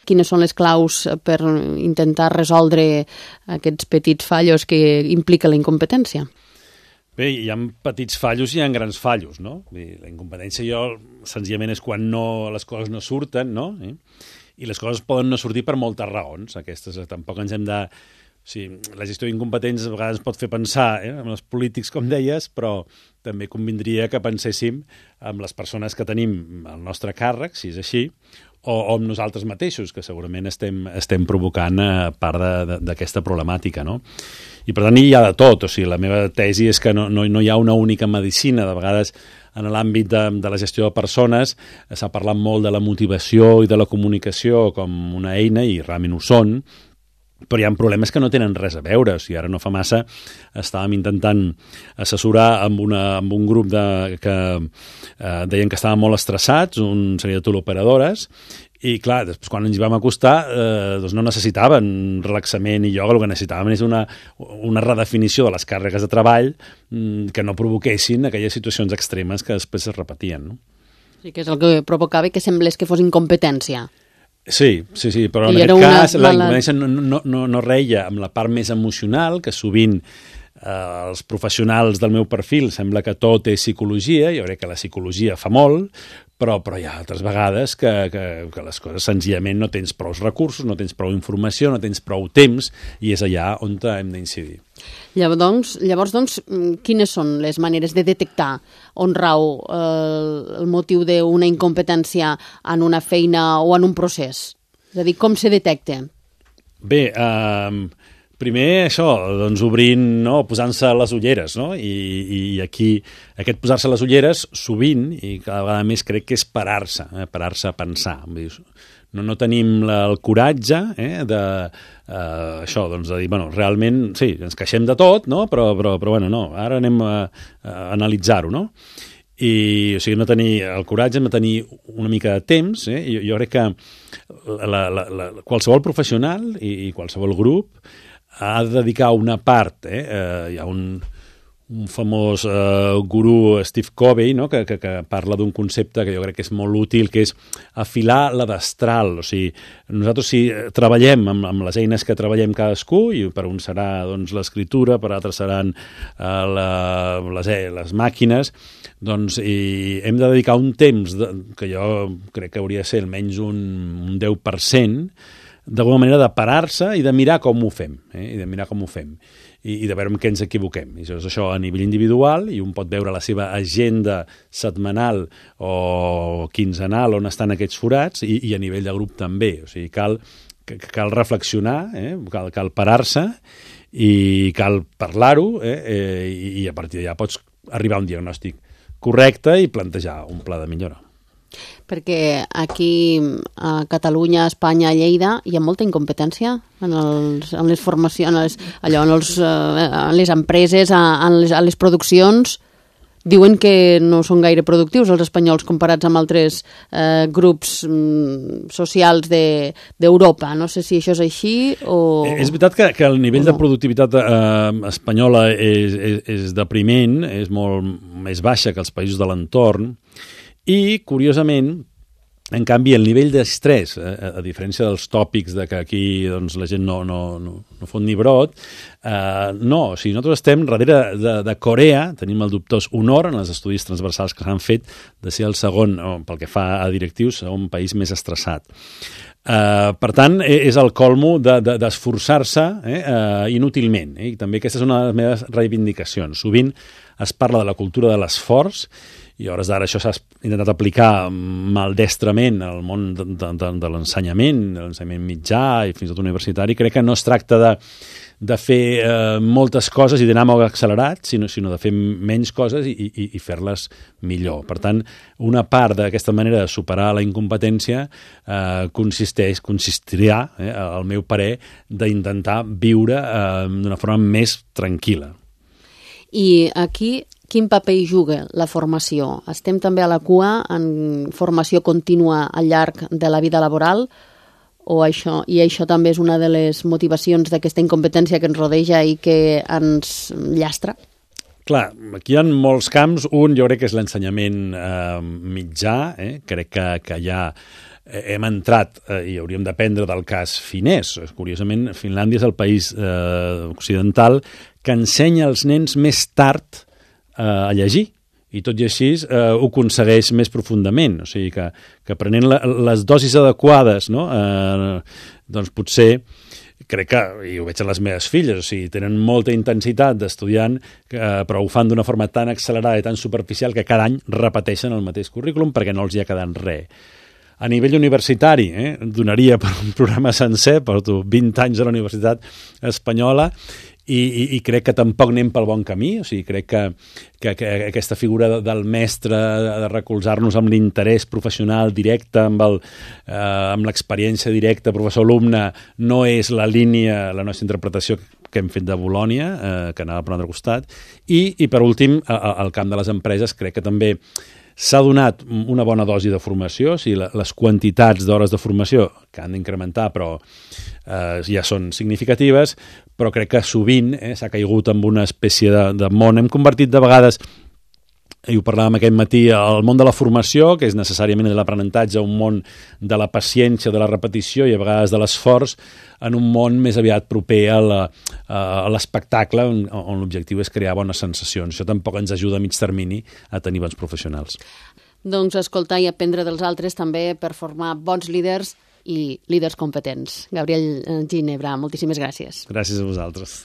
quines són les claus per intentar resoldre aquests petits fallos que implica la incompetència? Bé, hi ha petits fallos i hi ha grans fallos, no? La incompetència senzillament és quan les coses no surten, no? I les coses poden no sortir per moltes raons. Aquestes tampoc ens hem de... O sigui, la gestió d'incompetents a vegades pot fer pensar en els polítics, com deies, però també convindria que penséssim en les persones que tenim al nostre càrrec, si és així, o amb nosaltres mateixos, que segurament estem provocant part d'aquesta problemàtica, no? I per tant hi ha de tot. O sigui, la meva tesi és que no hi ha una única medicina. De vegades en l'àmbit de la gestió de persones s'ha parlat molt de la motivació i de la comunicació com una eina, i realment ho són, però hi ha problemes que no tenen res a veure. O sigui, ara no fa massa estàvem intentant assessorar amb un grup que deien que estaven molt estressats, un seria de teleoperadores, i clar, després quan ens hi vam acostar doncs no necessitaven relaxament i ioga, el que necessitaven és una redefinició de les càrregues de treball que no provoquessin aquelles situacions extremes que després es repetien, no? Sí, que és el que provocava que semblés que fos incompetència. Sí, però en aquest cas la incompetència no reia amb la part més emocional, que sovint els professionals del meu perfil sembla que tot és psicologia. Jo crec que la psicologia fa molt, però hi ha altres vegades que les coses senzillament no tens prou recursos, no tens prou informació, no tens prou temps, i és allà on hem d'incidir. Llavors, quines són les maneres de detectar on rau el motiu d'una incompetència en una feina o en un procés? És a dir, com se detecta? Bé, primer això, doncs obrint, no? Posant-se les ulleres, no? I aquí aquest posar-se les ulleres sovint, i cada vegada més, crec que és parar-se a pensar. No tenim el coratge això, doncs, de dir, bueno, realment, sí, ens queixem de tot, no? Però bueno, no, ara anem a analitzar-ho, no? I, o sigui, no tenir el coratge, no tenir una mica de temps. Jo crec que qualsevol professional i qualsevol grup ha de dedicar una part. Hi ha un famós gurú, Steve Covey, no? que parla d'un concepte que jo crec que és molt útil, que és afilar la destral. O sigui, nosaltres si treballem amb les eines que treballem cadascú, i per un serà doncs, l'escriptura, per altres seran les màquines, doncs hem de dedicar un temps que jo crec que hauria de ser almenys un 10%, d'alguna manera de parar-se i de mirar com ho fem, i de mirar com ho fem, i de veure en què ens equivoquem. I això a nivell individual, i un pot veure la seva agenda setmanal o quinzenal on estan aquests forats, i a nivell de grup també. O sigui, cal reflexionar, cal parar-se, i cal parlar-ho, i a partir d'allà pots arribar a un diagnòstic correcte i plantejar un pla de millora. Perquè aquí a Catalunya, a Espanya, a Lleida hi ha molta incompetència en les formacions, en les empreses, a les produccions. Diuen que no són gaire productius els espanyols comparats amb altres grups socials d'Europa. No sé si això és així o... És veritat que el nivell de productivitat espanyola és depriment, és molt més baixa que els països de l'entorn, i, curiosament, en canvi, el nivell d'estrès, a diferència dels tòpics de que aquí doncs, la gent no fot ni brot, no. O sigui, nosaltres estem darrere de Corea, tenim el dubtós honor en els estudis transversals que s'han fet de ser el segon, pel que fa a directius, segon país més estressat. Per tant, és el colmo d'esforçar-se inútilment. I també aquesta és una de les meves reivindicacions. Sovint es parla de la cultura de l'esforç, i a hores d'ara això s'ha intentat aplicar maldestrament al món de l'ensenyament mitjà i fins i tot universitari. Crec que no es tracta de fer moltes coses i d'anar molt accelerat, sinó de fer menys coses i fer-les millor. Per tant, una part d'aquesta manera de superar la incompetència consistirà, al meu parer, d'intentar viure d'una forma més tranquil·la. I aquí quin paper hi juga la formació? Estem també a la cua en formació contínua al llarg de la vida laboral o això també és una de les motivacions d'aquesta incompetència que ens rodeja i que ens llastra? Clar, aquí hi ha molts camps. Un, jo crec que és l'ensenyament mitjà. Crec que hi ha hem entrat, i hauríem d'aprendre del cas finès. Curiosament, Finlàndia és el país occidental que ensenya als nens més tard a llegir, i tot i així ho aconsegueix més profundament. O sigui que prenent les dosis adequades, no? Doncs potser, crec que, i ho veig en les meves filles, o sigui, tenen molta intensitat d'estudiant, però ho fan d'una forma tan accelerada i tan superficial que cada any repeteixen el mateix currículum perquè no els hi ha quedat res. A nivell universitari, donaria per un programa sencer, porto 20 anys a la Universitat Espanyola, i crec que tampoc anem pel bon camí. O sigui, crec que aquesta figura del mestre, de recolzar-nos amb l'interès professional directe, amb l'experiència directa professor-alumne, no és la línia, la nostra interpretació que hem fet de Bolònia, que anava per un altre costat. I per últim, al camp de les empreses, crec que també s'ha donat una bona dosi de formació, o sigui, les quantitats d'hores de formació que han d'incrementar, però ja són significatives, però crec que sovint s'ha caigut en una espècie de món. Hem convertit de vegades, i ho parlàvem aquest matí, el món de la formació, que és necessàriament de l'aprenentatge, un món de la paciència, de la repetició i a vegades de l'esforç, en un món més aviat proper a l'espectacle, on l'objectiu és crear bones sensacions. Això tampoc ens ajuda a mig termini a tenir bons professionals. Doncs escoltar i aprendre dels altres també per formar bons líders i líders competents. Gabriel Ginebra, moltíssimes gràcies. Gràcies a vosaltres.